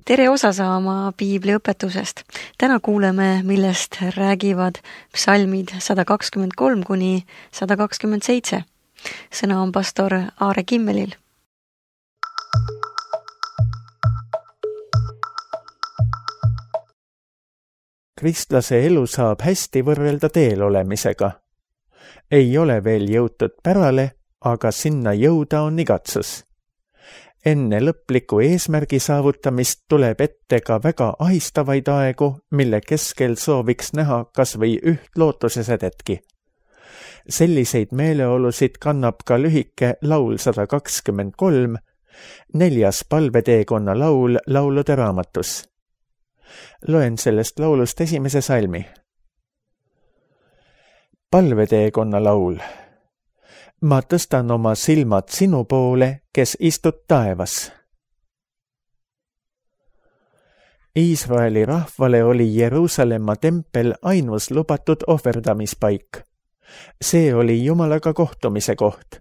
Tere osa saama piibliõpetusest. Täna kuuleme, millest räägivad psalmid 123 kuni 127. Sõna on pastor Aare Kimmelil. Kristlase elu saab hästi võrrelda teel olemisega. Ei ole veel jõutud pärale, aga sinna jõuda on igatsus. Enne lõpliku eesmärgi saavutamist tuleb ette ka väga ahistavaid aegu, mille keskel sooviks näha kas või üht lootusesädetki. Selliseid meeleolusid kannab ka lühike laul 123, 4. palveteekonna laul laulude raamatus. Loen sellest laulust esimese salmi. Palveteekonna laul. Ma tõstan oma silmad sinu poole, kes istud taevas. Iisraeli rahvale oli Jeruusalemma tempel ainus lubatud ohverdamispaik. See oli Jumalaga kohtumise koht.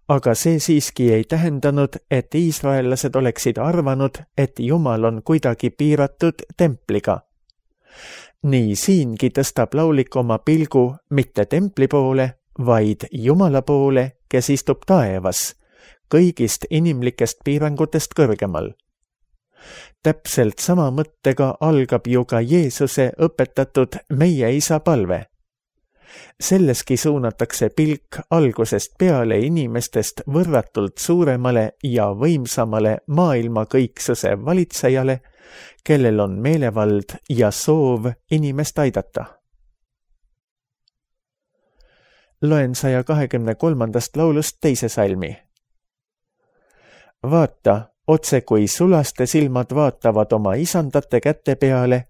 Aga see siiski ei tähendanud, et iisraellased oleksid arvanud, et Jumal on kuidagi piiratud templiga. Nii siingi tõstab laulik oma pilgu mitte templi poole, vaid Jumala poole, kes istub taevas, kõigist inimlikest piirangutest kõrgemal. Täpselt sama mõttega algab ju ka Jeesuse õpetatud meie isa palve. Selleski suunatakse pilk algusest peale inimestest võrratult suuremale ja võimsamale maailma kõiksuse valitsejale, kellel on meelevald ja soov inimest aidata. Loen 123. laulust teise salmi. Vaata, otse kui sulaste silmad vaatavad oma isandate kätte peale,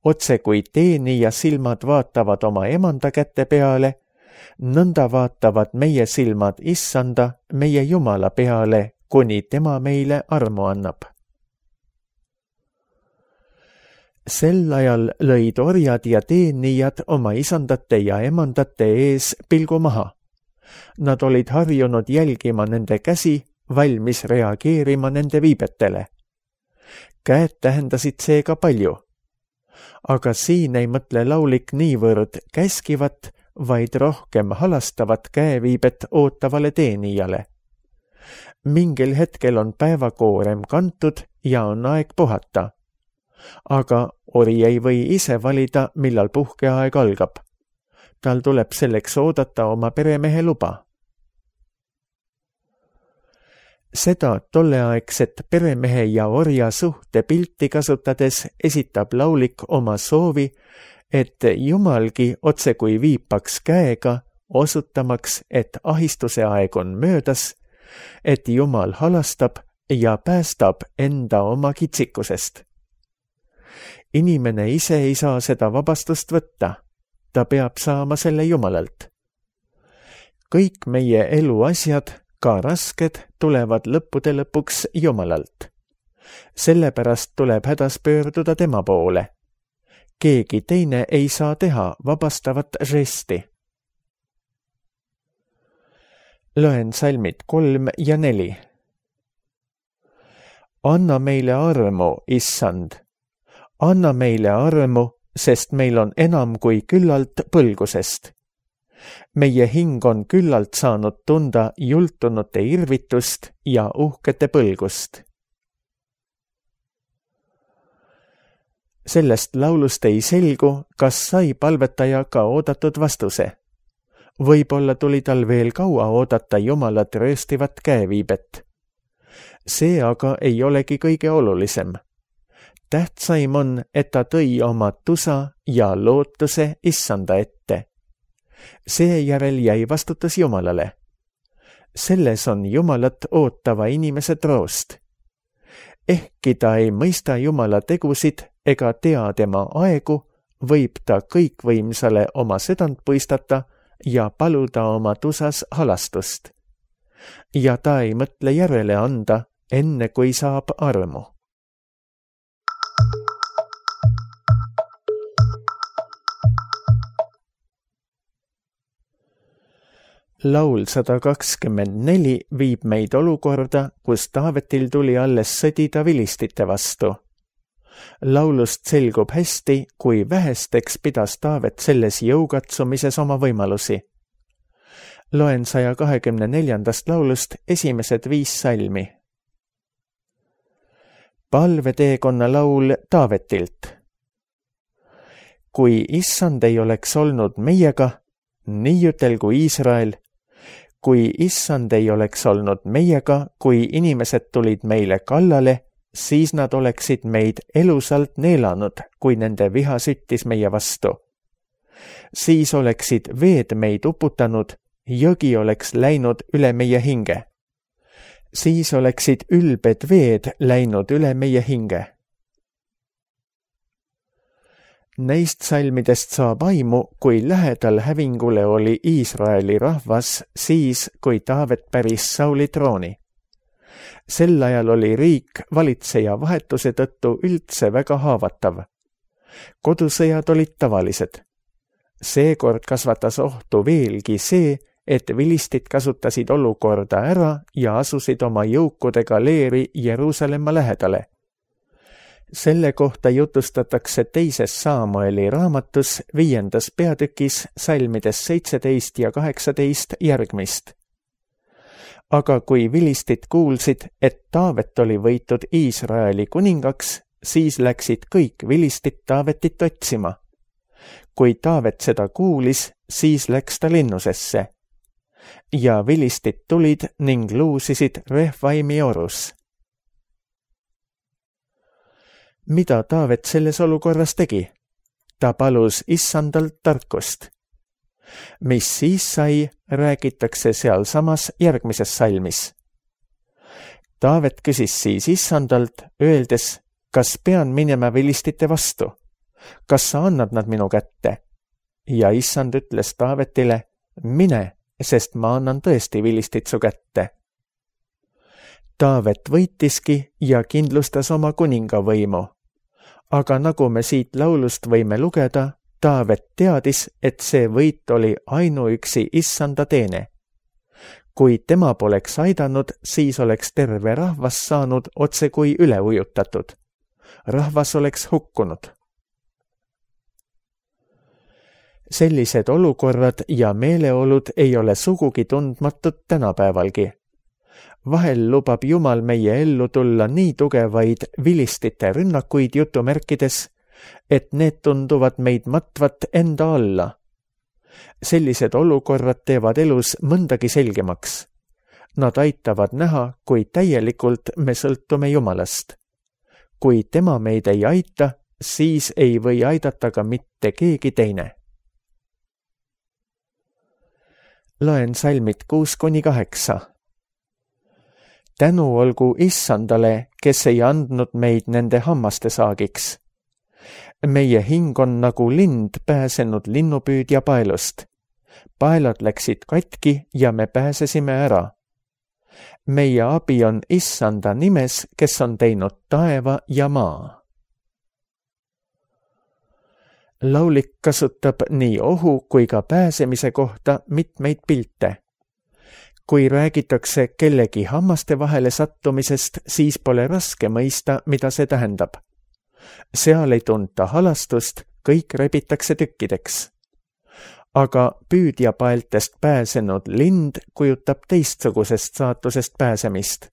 otse kui teenija silmad vaatavad oma emanda kätte peale, nõnda vaatavad meie silmad issanda, meie Jumala peale, kuni tema meile armu annab. Sel ajal lõid orjad ja teenijad oma isandate ja emandate ees pilgu maha. Nad olid harjunud jälgima nende käsi, valmis reageerima nende viibetele. Käed tähendasid seega palju. Aga siin ei mõtle laulik niivõrd käskivat, vaid rohkem halastavat käeviibet ootavale teenijale. Mingil hetkel on päevakoorem kantud ja on aeg puhata. Aga ori ei või ise valida, millal puhkeaeg algab. Tal tuleb selleks oodata oma peremehe luba. Seda tolleaegset peremehe ja orja suhte pilti kasutades esitab laulik oma soovi, et Jumalgi otse kui viipaks käega, osutamaks, et ahistuse aeg on möödas, et Jumal halastab ja päästab enda oma kitsikusest. Inimene ise ei saa seda vabastust võtta. Ta peab saama selle Jumalalt. Kõik meie eluasjad, ka rasked, tulevad lõppude lõpuks Jumalalt. Sellepärast tuleb hädas pöörduda tema poole. Keegi teine ei saa teha vabastavat žesti. Loen salmid 3 ja 4. Anna meile armu, issand. Anna meile armu, sest meil on enam kui küllalt põlgusest. Meie hing on küllalt saanud tunda jultunute irvitust ja uhkete põlgust. Sellest laulust ei selgu, kas sai palvetaja ka oodatud vastuse. Võib-olla tuli tal veel kaua oodata Jumalat rööstivat käeviibet. See aga ei olegi kõige olulisem. Tähtsaim on, et ta tõi oma tusa ja lootuse issanda ette. Seejärel jäi vastutus Jumalale. Selles on Jumalat ootava inimese troost. Ehkki ta ei mõista Jumala tegusid ega tea tema aegu, võib ta kõikvõimsale oma südant puistata ja paluda oma tusas halastust. Ja ta ei mõtle järele anda, enne kui saab armu. Laul 124 viib meid olukorda, kus Taavetil tuli alles sõdida vilistite vastu, Laulust selgub hästi, kui vähesteks pidas Taavet selles jõukatsumises oma võimalusi. Loen 124. laulust esimesed 5 salmi. Palveteekonna laul Taavetilt. Kui Issand ei oleks olnud meiega, nii ütelgu Iisrael, kui Issand ei oleks olnud meiega, kui inimesed tulid meile kallale, siis nad oleksid meid elusalt neelanud, kui nende viha süttis meie vastu. Siis oleksid veed meid uputanud, jõgi oleks läinud üle meie hinge. Siis oleksid ülbed veed läinud üle meie hinge. Neist salmidest saab aimu, kui lähedal hävingule oli Iisraeli rahvas siis, kui Taavet päris Sauli trooni. Sel ajal oli riik valitseja vahetuse tõttu üldse väga haavatav. Kodusõjad olid tavalised. Seekord kasvatas ohtu veelgi see, et vilistid kasutasid olukorda ära ja asusid oma jõukudega leeri Jeruusalemma lähedale. Selle kohta jutustatakse 2. Saamueli raamatus 5. peatükis salmides 17 ja 18 järgmist. Aga kui vilistid kuulsid, et Taavet oli võitud Iisraeli kuningaks, siis läksid kõik vilistid Taavetit otsima. Kui Taavet seda kuulis, siis läks ta linnusesse. Ja vilistid tulid ning luusisid Refvaimi orus. Mida Taavet selles olukorras tegi? Ta palus Issandalt tarkust. Mis siis sai, räägitakse sealsamas järgmises salmis. Taavet küsis siis Issandalt, öeldes, kas pean minema vilistite vastu? Kas sa annad nad minu kätte? Ja Issand ütles Taavetile, mine, sest ma annan tõesti vilistid su kätte. Taavet võitiski ja kindlustas oma kuningavõimu. Aga nagu me siit laulust võime lugeda, Taavet teadis, et see võit oli ainuüksi Issanda teene. Kui tema poleks aidanud, siis oleks terve rahvas saanud otse kui üle ujutatud. Rahvas oleks hukkunud. Sellised olukorrad ja meeleolud ei ole sugugi tundmatud tänapäevalgi. Vahel lubab Jumal meie ellu tulla nii tugevaid vilistite rünnakuid jutumärkides, et need tunduvad meid matvat enda alla. Sellised olukorrad teevad elus mõndagi selgemaks. Nad aitavad näha, kui täielikult me sõltume Jumalast. Kui tema meid ei aita, siis ei või aidata ka mitte keegi teine. Loen salmid 6-8. Tänu olgu Issandale, kes ei andnud meid nende hammaste saagiks. Meie hing on nagu lind pääsenud linnupüüdja paelust. Paelad läksid katki ja me pääsesime ära. Meie abi on Issanda nimes, kes on teinud taeva ja maa. Laulik kasutab nii ohu kui ka pääsemise kohta mitmeid pilte. Kui räägitakse kellegi hammaste vahele sattumisest, siis pole raske mõista, mida see tähendab. Seal ei tunta halastust, kõik rebitakse tükkideks. Aga püüdjapaeltest pääsenud lind kujutab teistsugusest saatusest pääsemist.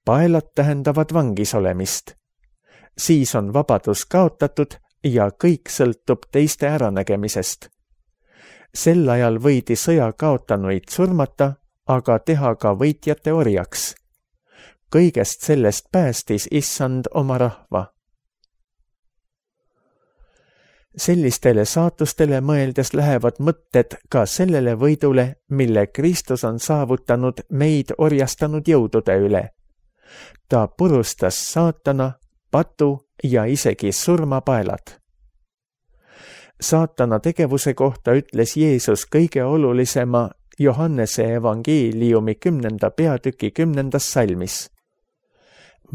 Paelad tähendavad vangis olemist. Siis on vabadus kaotatud ja kõik sõltub teiste äranägemisest. Sel ajal võidi sõja kaotanuid surmata, aga teha ka võitjate orjaks. Kõigest sellest päästis Issand oma rahva. Sellistele saatustele mõeldes lähevad mõtted ka sellele võidule, mille Kristus on saavutanud meid orjastanud jõudude üle. Ta purustas saatana, patu ja isegi surmapaelad. Saatana tegevuse kohta ütles Jeesus kõige olulisema Johannese evangeeliumi 10. peatüki 10. salmis.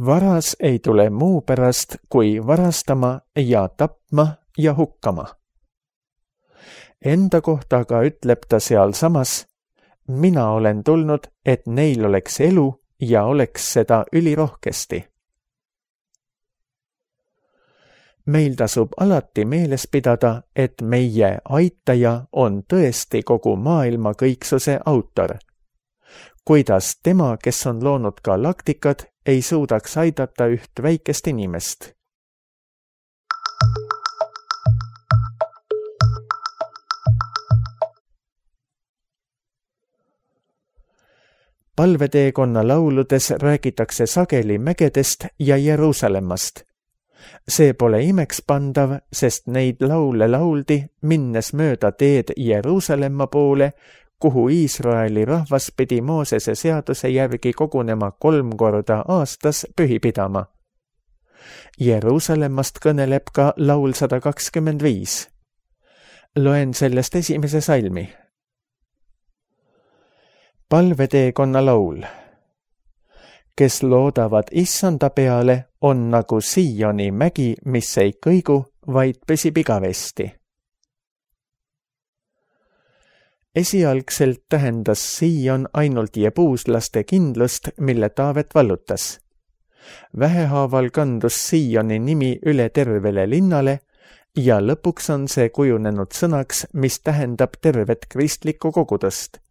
Varas ei tule muu pärast kui varastama ja tapma ja hukkama. Enda kohta aga ütleb ta sealsamas, mina olen tulnud, et neil oleks elu ja oleks seda ülirohkesti. meil tasub alati meeles pidada, et meie aitaja on tõesti kogu maailma kõiksuse autor. Kuidas tema, kes on loonud galaktikad, ei suudaks aidata üht väikest inimest? Palveteekonna lauludes räägitakse sageli mägedest ja Jeruusalemmast. See pole imekspandav, sest neid laule lauldi, minnes mööda teed Jeruusalemma poole, kuhu Iisraeli rahvas pidi Moosese seaduse järgi kogunema 3 korda aastas pühi pidama. Jeruusalemmast kõneleb ka laul 125. Loen sellest esimese salmi. Palveteekonna laul. Kes loodavad Issanda peale, on nagu Sioni mägi, mis ei kõigu, vaid püsib igavesti. Esialgselt tähendas Sion ainult jebuuslaste kindlust, mille Taavet vallutas. Vähehaaval kandus Sioni nimi üle tervele linnale ja lõpuks on see kujunenud sõnaks, mis tähendab tervet kristlikku kogudust.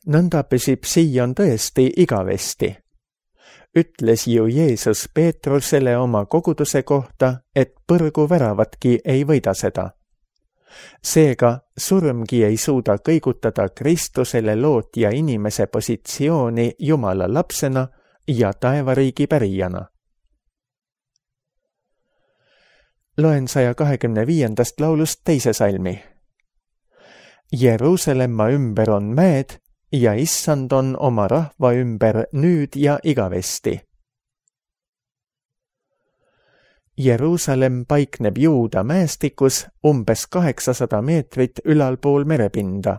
Nõnda püsib Sion tõesti igavesti. Ütles ju Jeesus Peetrusele oma koguduse kohta, et põrgu väravatki ei võida seda. Seega surmgi ei suuda kõigutada Kristusele lootja inimese positsiooni Jumala lapsena ja taevariigi pärijana. Loen 125. laulust teise salmi. Jeruusalemma ümber on mäed ja Issand on oma rahva ümber nüüd ja igavesti. Jeruusalemm paikneb Juuda mäestikus umbes 800 meetrit ülalpool merepinda.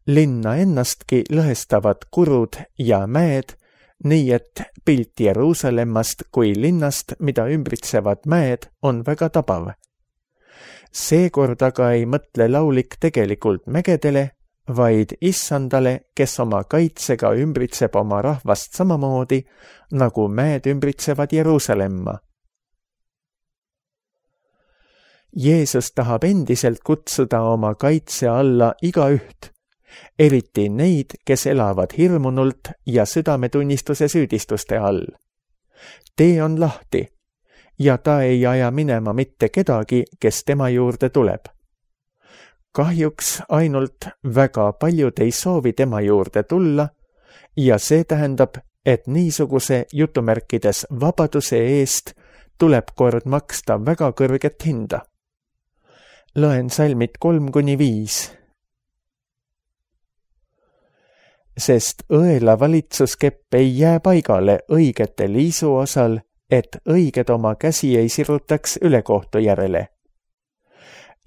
Linna ennastki lõhestavad kurud ja mäed, nii et pilt Jeruusalemmast kui linnast, mida ümbritsevad mäed, on väga tabav. Seekord aga ei mõtle laulik tegelikult mägedele, vaid Issandale, kes oma kaitsega ümbritseb oma rahvast samamoodi, nagu mäed ümbritsevad Jeruusalemma. Jeesus tahab endiselt kutsuda oma kaitse alla igaüht, eriti neid, kes elavad hirmunult ja südametunnistuse süüdistuste all. Tee on lahti ja ta ei aja minema mitte kedagi, kes tema juurde tuleb. Kahjuks ainult väga paljud ei soovi tema juurde tulla ja see tähendab, et niisuguse jutumärkides vabaduse eest tuleb kord maksta väga kõrget hinda. Loen salmid 3-5. Sest õela valitsuskepp ei jää paigale õigete liisu osal, et õiged oma käsi ei sirutaks ülekohtu järele.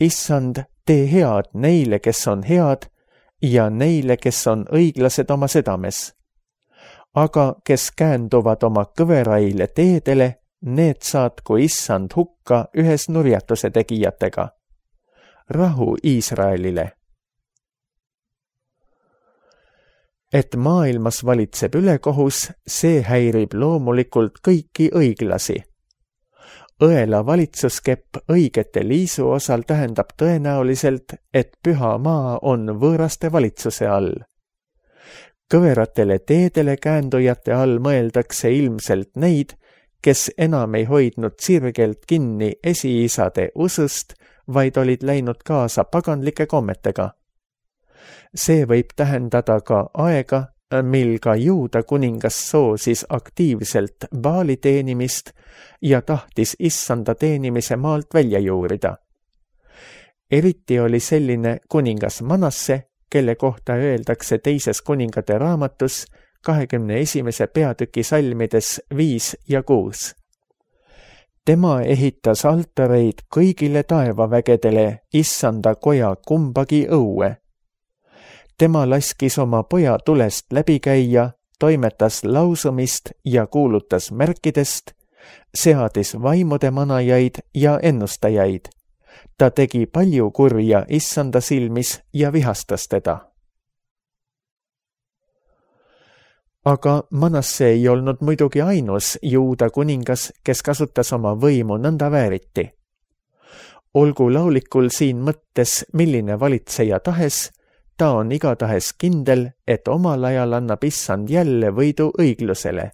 Issand, tee head neile, kes on head, ja neile, kes on õiglased oma südames. Aga kes käänduvad oma kõveraile teedele, need saatku Issand hukka ühes nurjatuse tegijatega. Rahu Iisraelile. Et maailmas valitseb ülekohus, see häirib loomulikult kõiki õiglasi. Õela valitsuskepp õigete liisu osal tähendab tõenäoliselt, et püha maa on võõraste valitsuse all. Kõveratele teedele käändujate all mõeldakse ilmselt neid, kes enam ei hoidnud sirgelt kinni esiisade usust, vaid olid läinud kaasa paganlike kommetega. See võib tähendada ka aega, mil ka Juuda kuningas soosis aktiivselt Baali teenimist ja tahtis Issanda teenimise maalt välja juurida. Eriti oli selline kuningas Manasse, kelle kohta öeldakse teises kuningate raamatus 21. peatüki salmides 5 ja 6. Tema ehitas altareid kõigile taevavägedele Issanda koja kumbagi õue. Tema laskis oma poja tulest läbi käia, toimetas lausumist ja kuulutas märkidest, seadis vaimude manajaid ja ennustajaid. Ta tegi palju kurja Issanda silmis ja vihastas teda. Aga Manasse ei olnud muidugi ainus Juuda kuningas, kes kasutas oma võimu nõnda vääriti. Olgu laulikul siin mõttes, milline valitseja tahes, ta on igatahes kindel, et omal ajal annab Issand jälle võidu õiglusele.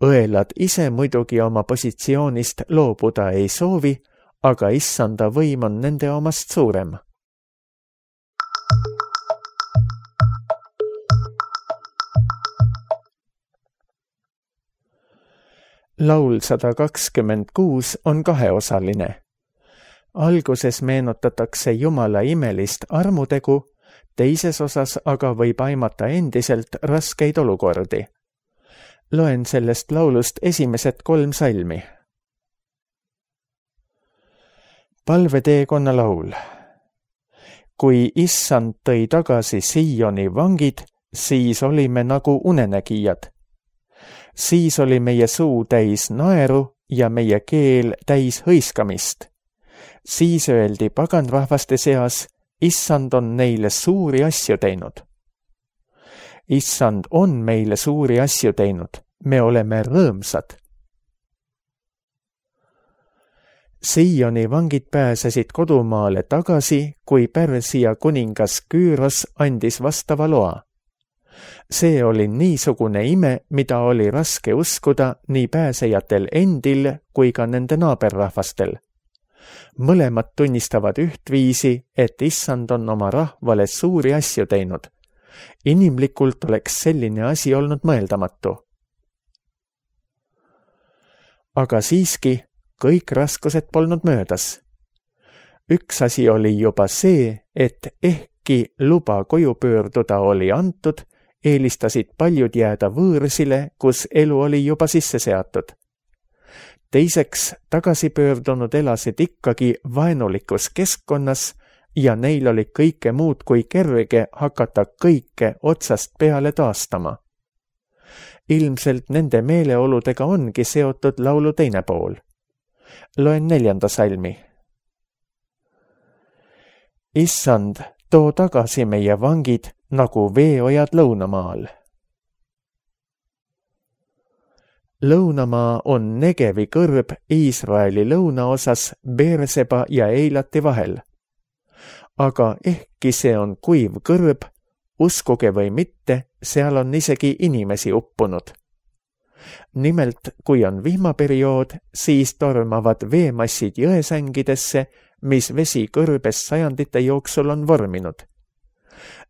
Õelad ise muidugi oma positsioonist loobuda ei soovi, aga Issanda võim on nende omast suurem. Laul 126 on kaheosaline. Alguses meenutatakse Jumala imelist armutegu, teises osas aga võib aimata endiselt raskeid olukordi. Loen sellest laulust esimesed 3 salmi. Palveteekonna laul. Kui Issand tõi tagasi Sioni vangid, siis olime nagu unenägijad. Siis oli meie suu täis naeru ja meie keel täis hõiskamist. Siis öeldi paganrahvaste seas, Issand on neile suuri asju teinud. Issand on meile suuri asju teinud, me oleme rõõmsad. Sioni vangid pääsesid kodumaale tagasi, kui Pärsia kuningas Küüros andis vastava loa. See oli niisugune ime, mida oli raske uskuda nii pääsejatel endil kui ka nende naaberrahvastel. Mõlemad tunnistavad ühtviisi, et Issand on oma rahvale suuri asju teinud. Inimlikult oleks selline asi olnud mõeldamatu. Aga siiski, kõik raskused polnud möödas. Üks asi oli juba see, et ehkki luba koju pöörduda oli antud, eelistasid paljud jääda võõrsile, kus elu oli juba sisse seatud. Teiseks, tagasipöördunud elasid ikkagi vaenulikus keskkonnas ja neil oli kõike muud kui kerge hakata kõike otsast peale taastama. Ilmselt nende meeleoludega ongi seotud laulu teine pool. Loen 4. salmi. Issand, too tagasi meie vangid nagu veeojad lõunamaal. Lõunamaa on Negevi kõrb Iisraeli lõunaosas Beerseba ja Eilati vahel. Aga ehkki see on kuiv kõrb, uskuge või mitte, seal on isegi inimesi uppunud. Nimelt, kui on vihmaperiood, siis tormavad veemassid jõesängidesse, mis vesi kõrbes sajandite jooksul on vorminud.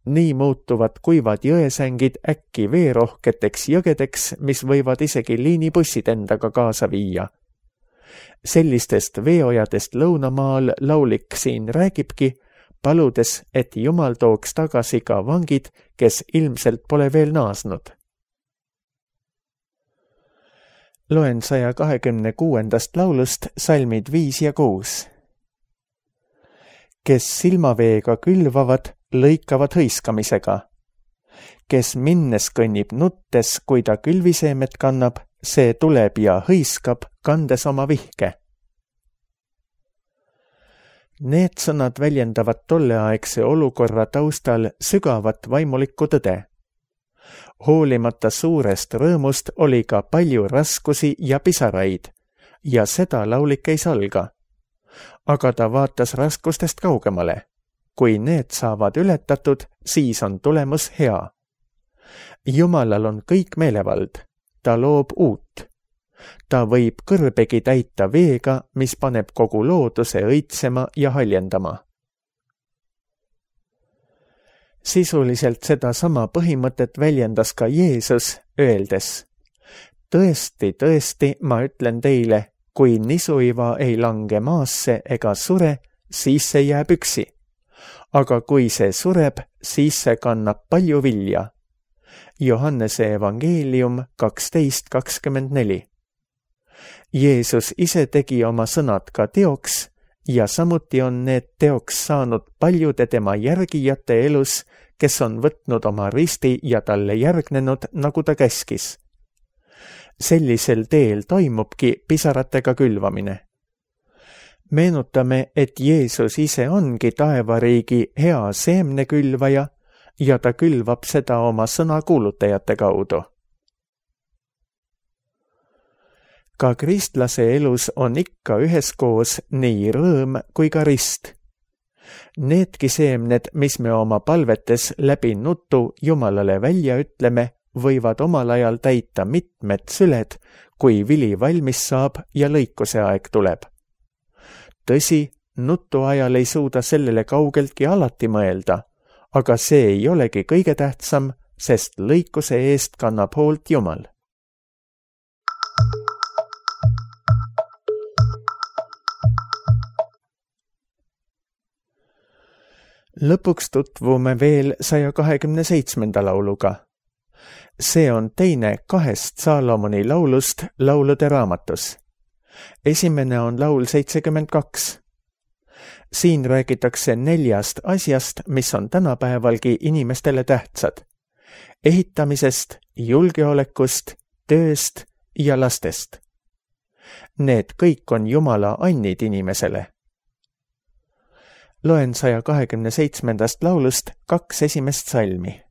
Nii muutuvad kuivad jõesängid äkki veerohketeks jõgedeks, mis võivad isegi liinibussid endaga kaasa viia. Sellistest veeojadest lõunamaal laulik siin räägibki, paludes, et Jumal tooks tagasi ka vangid, kes ilmselt pole veel naasnud. Loen 126. laulust salmid 5 ja 6. Kes silmaveega külvavad, lõikavad hõiskamisega. Kes minnes kõnnib nuttes, kui ta külviseemet kannab, see tuleb ja hõiskab, kandes oma vihke. Need sõnad väljendavad tolleaegse olukorra taustal sügavat vaimulikku tõde. Hoolimata suurest rõõmust oli ka palju raskusi ja pisaraid, ja seda laulik ei salga. Aga ta vaatas raskustest kaugemale. Kui need saavad ületatud, siis on tulemus hea. Jumalal on kõik meelevald, ta loob uut. Ta võib kõrbegi täita veega, mis paneb kogu looduse õitsema ja haljendama. Sisuliselt seda sama põhimõtet väljendas ka Jeesus, öeldes: Tõesti, tõesti, ma ütlen teile, kui nisuiva ei lange maasse ega sure, siis see jääb üksi. Aga kui see sureb, siis see kannab palju vilja. Johannese evangeelium 12:24. Jeesus ise tegi oma sõnad ka teoks ja samuti on need teoks saanud paljude tema järgijate elus, kes on võtnud oma risti ja talle järgnenud, nagu ta käskis. Sellisel teel toimubki pisaratega külvamine. Meenutame, et Jeesus ise ongi taevariigi hea seemnekülvaja ja ta külvab seda oma sõna kuulutajate kaudu. Ka kristlase elus on ikka üheskoos nii rõõm kui ka rist. Needki seemned, mis me oma palvetes läbi nutu Jumalale välja ütleme, võivad omal ajal täita mitmed süled, kui vili valmis saab ja lõikuse aeg tuleb. Tõsi, nutu ajal ei suuda sellele kaugeltki alati mõelda, aga see ei olegi kõige tähtsam, sest lõikuse eest kannab hoolt Jumal. Lõpuks tutvume veel 127. lauluga. See on teine 2 Saalomoni laulust laulude raamatus. Esimene on laul 72. Siin räägitakse 4 asjast, mis on tänapäevalgi inimestele tähtsad. Ehitamisest, julgeolekust, tööst ja lastest. Need kõik on Jumala annid inimesele. Loen 127. laulust 2 esimest salmi.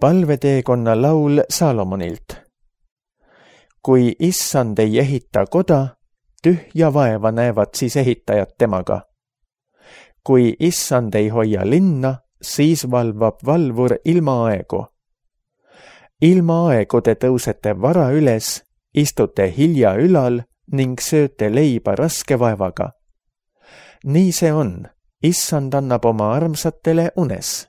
Palveteekonna laul Saalomonilt. Kui Issand ei ehita koda, tühja vaeva näevad siis ehitajad temaga. Kui Issand ei hoia linna, siis valvab valvur ilma aegu. Ilma aegu te tõusete vara üles, istute hilja ülal ning sööte leiba raske vaevaga. Nii see on, Issand annab oma armsatele unes.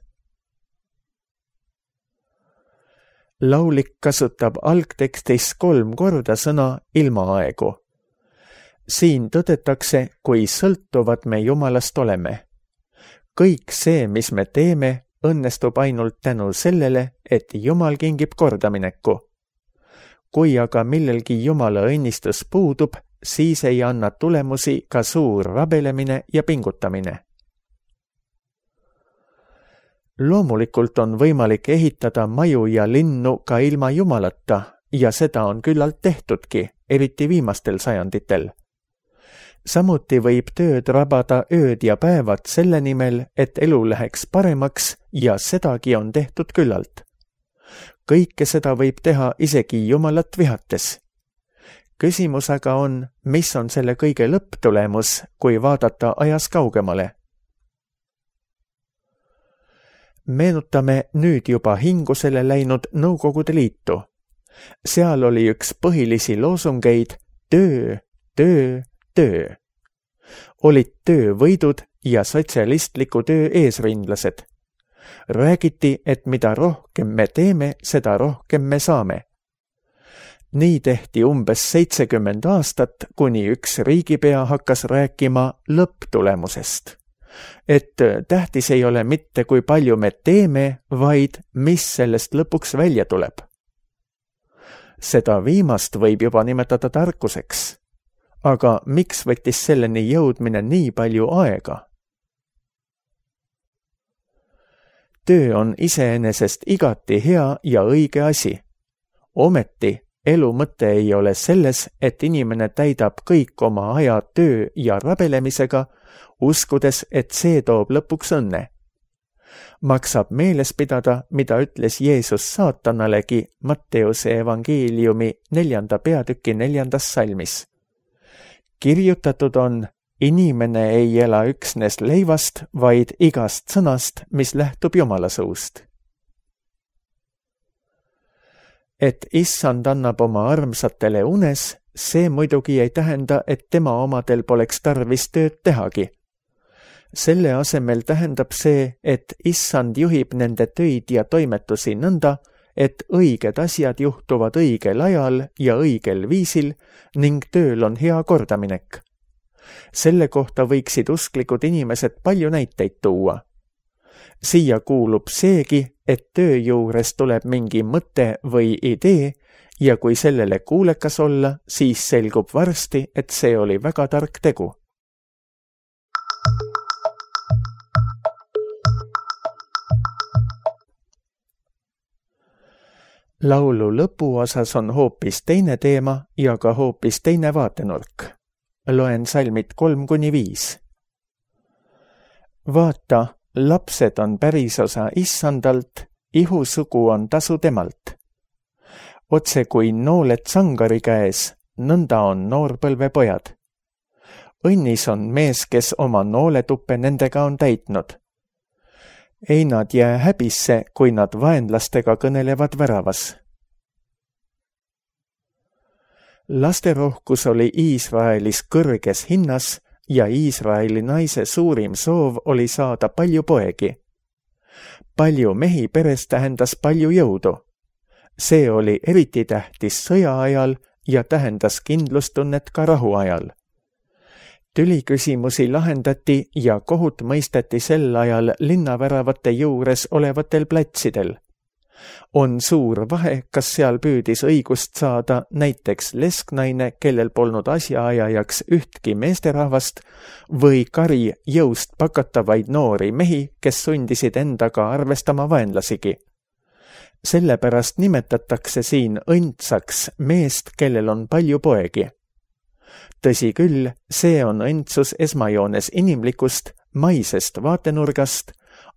Laulik kasutab algtekstis 3 korda sõna ilma aegu. Siin tõdetakse, kui sõltuvad me Jumalast oleme. Kõik see, mis me teeme, õnnestub ainult tänu sellele, et Jumal kingib kordamineku. Kui aga millelgi Jumala õnnistus puudub, siis ei anna tulemusi ka suur rabelemine ja pingutamine. Loomulikult on võimalik ehitada maju ja linnu ka ilma Jumalata ja seda on küllalt tehtudki, eriti viimastel sajanditel. Samuti võib tööd rabada ööd ja päevad selle nimel, et elu läheks paremaks ja sedagi on tehtud küllalt. Kõike seda võib teha isegi Jumalat vihates. Küsimus aga on, mis on selle kõige lõpptulemus, kui vaadata ajas kaugemale. Meenutame nüüd juba hingusele läinud Nõukogude Liitu. Seal oli üks põhilisi loosungeid töö, töö, töö. Olid töövõidud ja sotsialistliku töö eesrindlased. Räägiti, et mida rohkem me teeme, seda rohkem me saame. Nii tehti umbes 70 aastat, kuni üks riigipea hakkas rääkima lõpptulemusest. Et tähtis ei ole mitte, kui palju me teeme, vaid mis sellest lõpuks välja tuleb. Seda viimast võib juba nimetada tarkuseks. Aga miks võttis selleni jõudmine nii palju aega? Töö on iseenesest igati hea ja õige asi. Ometi elu mõte ei ole selles, et inimene täidab kõik oma aja töö ja rabelemisega, uskudes, et see toob lõpuks õnne. Maksab meeles pidada, mida ütles Jeesus saatanalegi Matteuse evangeeliumi 4. peatüki 4. salmis. Kirjutatud on, inimene ei ela üksnes leivast, vaid igast sõnast, mis lähtub Jumala suust. Et Issand annab oma armsatele unes, see muidugi ei tähenda, et tema omadel poleks tarvis tööd tehagi. Selle asemel tähendab see, et Issand juhib nende töid ja toimetusi nõnda, et õiged asjad juhtuvad õigel ajal ja õigel viisil ning tööl on hea kordaminek. Selle kohta võiksid usklikud inimesed palju näiteid tuua. Siia kuulub seegi, et töö juures tuleb mingi mõte või idee ja kui sellele kuulekas olla, siis selgub varsti, et see oli väga tark tegu. Laulu lõpuosas on hoopis teine teema ja ka hoopis teine vaatenurk. Loen salmid 3-5. Vaata, Lapsed on pärisosa issandalt, ihusugu on tasu temalt. Otse kui nooled sangari käes, nõnda on noorpõlvepojad. Õnnis on mees, kes oma nooletuppe nendega on täitnud. Ei nad jää häbisse, kui nad vaenlastega kõnelevad väravas. Lasterohkus oli Iisraelis kõrges hinnas ja Iisraeli naise suurim soov oli saada palju poegi. Palju mehi peres tähendas palju jõudu. See oli eriti tähtis sõja ajal ja tähendas kindlustunnet ka rahu ajal. Tüliküsimusi lahendati ja kohut mõisteti sel ajal linnaväravate juures olevatel platsidel. On suur vahe, kas seal püüdis õigust saada näiteks lesknaine, kellel polnud asjaajajaks ühtki meesterahvast, või kari jõust pakatavaid noori mehi, kes sundisid endaga arvestama vaenlasigi. Sellepärast nimetatakse siin õndsaks meest, kellel on palju poegi. Tõsi küll, see on õndsus esmajoones inimlikust, maisest vaatenurgast,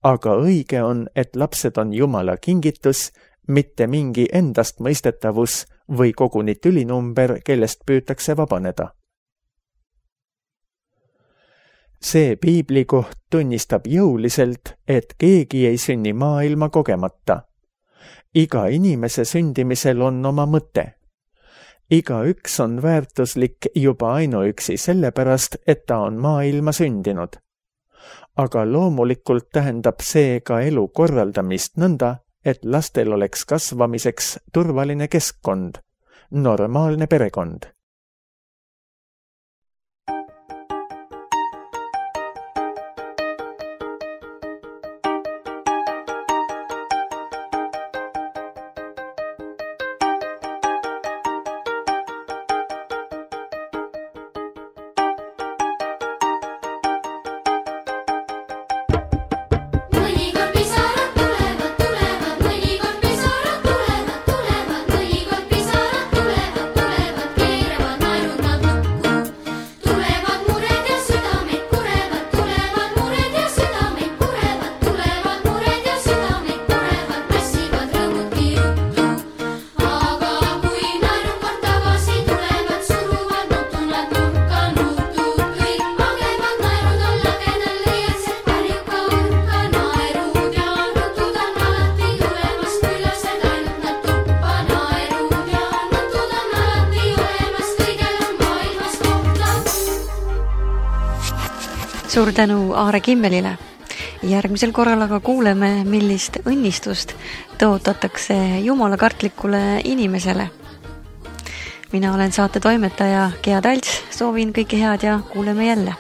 aga õige on, et lapsed on Jumala kingitus, mitte mingi endast mõistetavus või koguni tülinumber, kellest püütakse vabaneda. See piiblikoht tunnistab jõuliselt, et keegi ei sünni maailma kogemata. Iga inimese sündimisel on oma mõte. Igaüks on väärtuslik juba ainuüksi sellepärast, et ta on maailma sündinud. Aga loomulikult tähendab see ka elu korraldamist nõnda, et lastel oleks kasvamiseks turvaline keskkond, normaalne perekond. Suur tänu Aare Kimmelile. Järgmisel korral aga kuuleme, millist õnnistust tõotatakse jumalakartlikule inimesele. Mina olen saate toimetaja Gea Talts, soovin kõike head ja kuuleme jälle.